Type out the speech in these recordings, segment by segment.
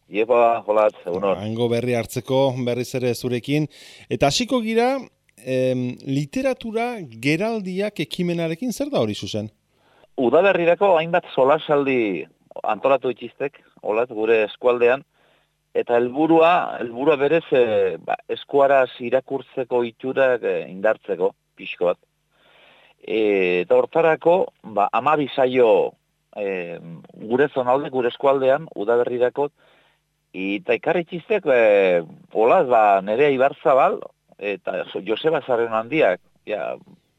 Iepa, holat, egunon. Hango berri hartzeko berriz ere zurekin. Eta hasiko gira, literatura geraldiak ekimenarekin zer da hori zuzen? Udaberrirako hainbat solasaldi antolatu itxistek, holat, gure eskualdean, eta helburua berez eskuaraz irakurtzeko iturak indartzeko, pixko bat. Eta hortarako, 12 saio gure zonalde, gure eskualdean, udaberrirako, eta ikarri txistek, holat, Nerea Ibarzabal, eta Joseba Zarren handiak,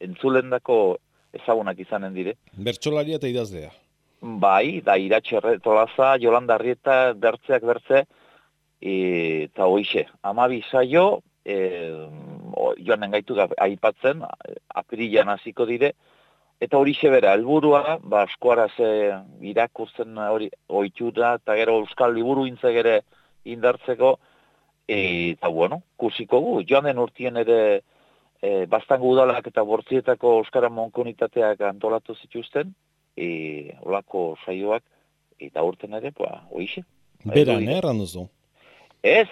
entzulendako ezagunak izanen dire. Bertsolaria eta idazlea. Bai, da Iratxe Tolaza, Jolanda Arrieta, bertzeak bertze, eta hoixe, 12 saio, joanen gaitu aipatzen, apirilan hasiko dire, eta horixe bera, helburua, eskuaraz irakurtzen hori ohitura, eta gero euskal liburu intzek ere indartzeko, eta bueno, kusiko gu, joan den urtien ere Baztango udalak eta Bortzietako euskara monkonitateak antolatu zituzten, olako saioak, eta urten ere, hoixe. Beran, erran duzu? Ez,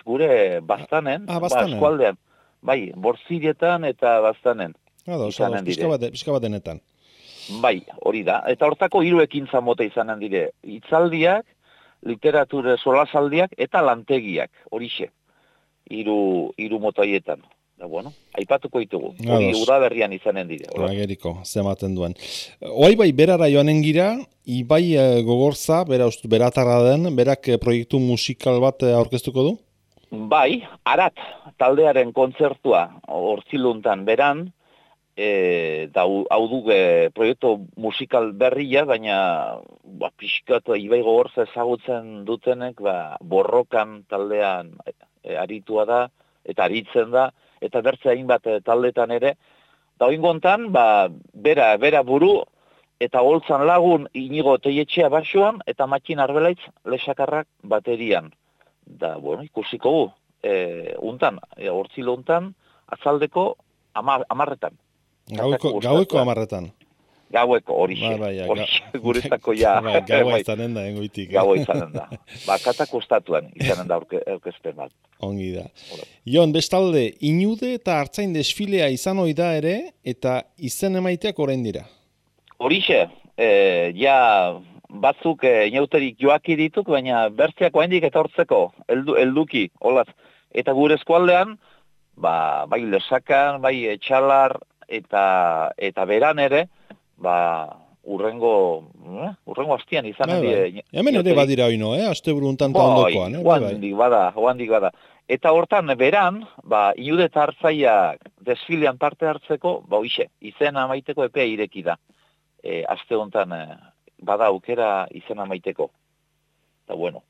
gure Baztanen, Baztanen. eskualdean, bai, Bortzietan eta Baztanen. Pixka bat denetan. Bai, hori da. Eta hortako 3 ekintza mota izanen dire. Hitzaldiak, literatura solasaldiak eta lantegiak, horixe. 3 mota haietan. Da, bueno, aipatuko ditugu. Hori udaberrian izanen dire. Ageriko, zematen duen. Oai bai, berara joanen gira, Ibai Gogorza, beratarra den, berak proiektu musikal bat aurkeztuko du? Bai, Arat, taldearen kontzertua, Hortziluntan beran, hau du proiektu musikal berria, baina pixkat Ibai Gogorza ezagutzen dutenek, borrokan taldean aritua da, eta aritzen da, eta bertze hainbat taldetan ere, da oingontan, bera buru, eta holtzan lagun Inigo Teietxea basoan, eta Matxin Arbelaitz lesakarrak baterian. Da, bueno, ikusiko gu, Hortzilo untan, atzaldeko 10:00. Gaueko 10:00. Gaueko, horixe. Guretzako ja. Gaua izanen da, engoitik. Gaua izanen da. Katak ostatuan izanen da aurkezpen bat. Ongi da. Jon, bestalde, Inude eta Artzain desfilea izan ohi da ere, eta izen emaiteak orain dira. Horixe, batzuk inauterik joaki dituk, baina bertzeak oraindik etortzeko, helduki, holaz. Eta gure eskualdean, bai Lesakan, bai Etxalar, eta beran ere, urrengo hastian izanen dire. Hemen ere badira oino, asteburu untan ta ondokoan. Hoandik bada. Eta hortan beran, Inude eta Artzaiak desfilean parte hartzeko, hoixe, izena amaiteko epea ireki da. Aste hontan bada aukera izena amaiteko. Eta bueno,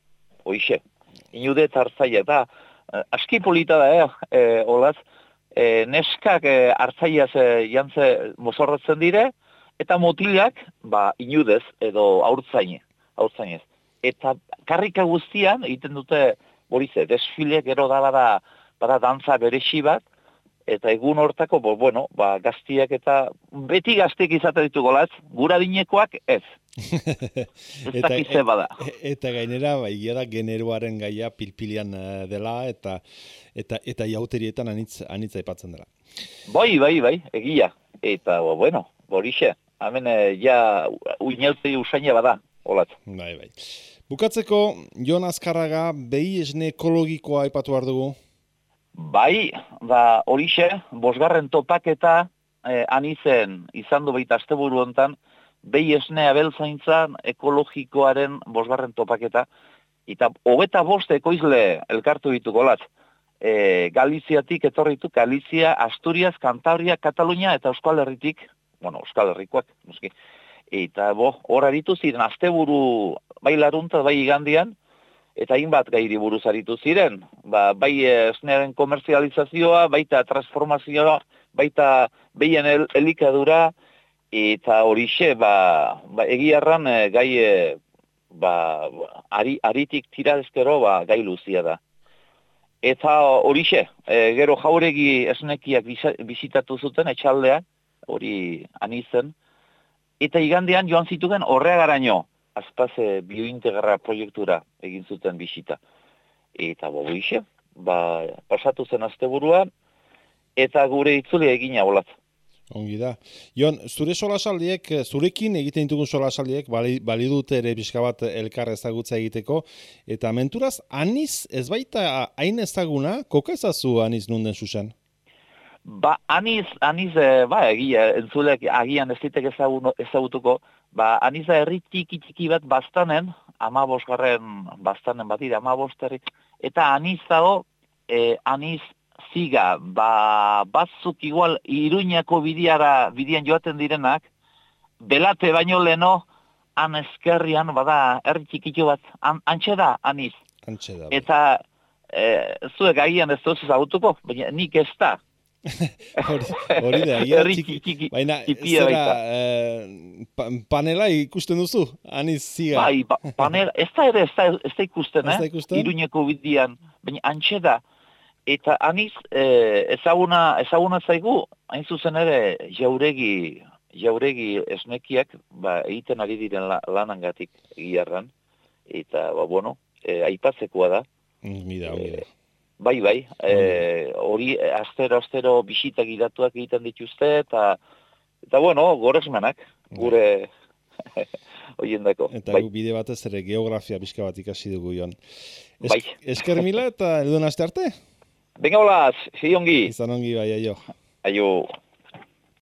hoixe, Inude eta Artzaiak da, aski polita da, holaz, neskak Artzaiaz jantze mozorretzen dire, eta motilak, Inudez edo haurtzainez. Eta karrika guztian, egiten dute, borize, desfile gero da bada dantza beresi bat, eta egun hortako, gaztiak eta beti gaztiak izate ditu golaz, gura dinekoak ez. Ez dakize bada. Eta gainera, da generoaren gaia pilpilian dela, eta jauterietan anitza aipatzen dela. Bai, egia. Eta, borixe, hemen uinauteri usaina bada, holat. Bai. Bukatzeko, Jon Azkarraga, behi esne ekologikoa aipatu behar dugu? Bai, horixe, 5. topaketa anizen izan du baita asteburu hontan, behi esne abeltzaintzan ekologikoaren 5. topaketa, eta 25 ekoizle elkartu dituko lat. Galiziatik etorritu, Galizia, Asturias, Kantabria, Katalunia eta Euskal Herritik, Euskal Herrikoak, noski. Eta hor aritu ziren, asteburu bai larunta, bai igandian, eta hainbat gairi buruz aritu ziren. Bai esnearen komerzializazioa, baita transformazioa, baita behien elikadura, eta horixe, egiarran gai, aritik tira ezkero, gai luzia da. Eta horixe, gero Jauregi esnekiak bizitatu zuten, etxaldean, hori anizen, eta igandean joan zitugen Horreagaraino, azpaze biointegra proiektura egin zuten bisita. Eta boixe, pasatu zen asteburua, eta gure itzuli egina olat. Ongi da. Jon, zure solasaldiek, zurekin egiten ditugun solasaldiek, bali dute ere pixka bat elkar ezagutza egiteko, eta menturaz, aniz ez baita hain ezaguna, koka ezazu aniz nunden zuzen? Aniz, egia, entzulek agian ez ditek ezagutuko, aniz da herri txiki bat bastanen, 15 bastanen bat dira, 15 herri, eta aniz dago, aniz ziga, batzuk igual Iruñako bidian joaten direnak, belate baino leno, han eskerrian, bada, herri txikitxo bat, antxe da, aniz. Antxe da. Eta zuek agian ez duz ezagutuko, baina nik ez da. Hori da, txiki, baina zera panela ikusten duzu, aniz ziga. Panela, ez da ikusten, Iruñeko bidian, baina antxe da. Eta aniz, ezaguna zaigu, hain zuzen ere, jauregi esnekiak, egiten ari diren lanangatik egiarran, eta, aipatzekoa da. Mida. Bai, hori astero bisita gidatuak egiten dituzte, eta goresmenak, gure hoiendako. Eta bide batez ere geografia bizka bat ikasi dugu, Jon. Esker mila eta elduen aste arte? Venga, hola, ongi. Izan ongi, bai, aio. Aio.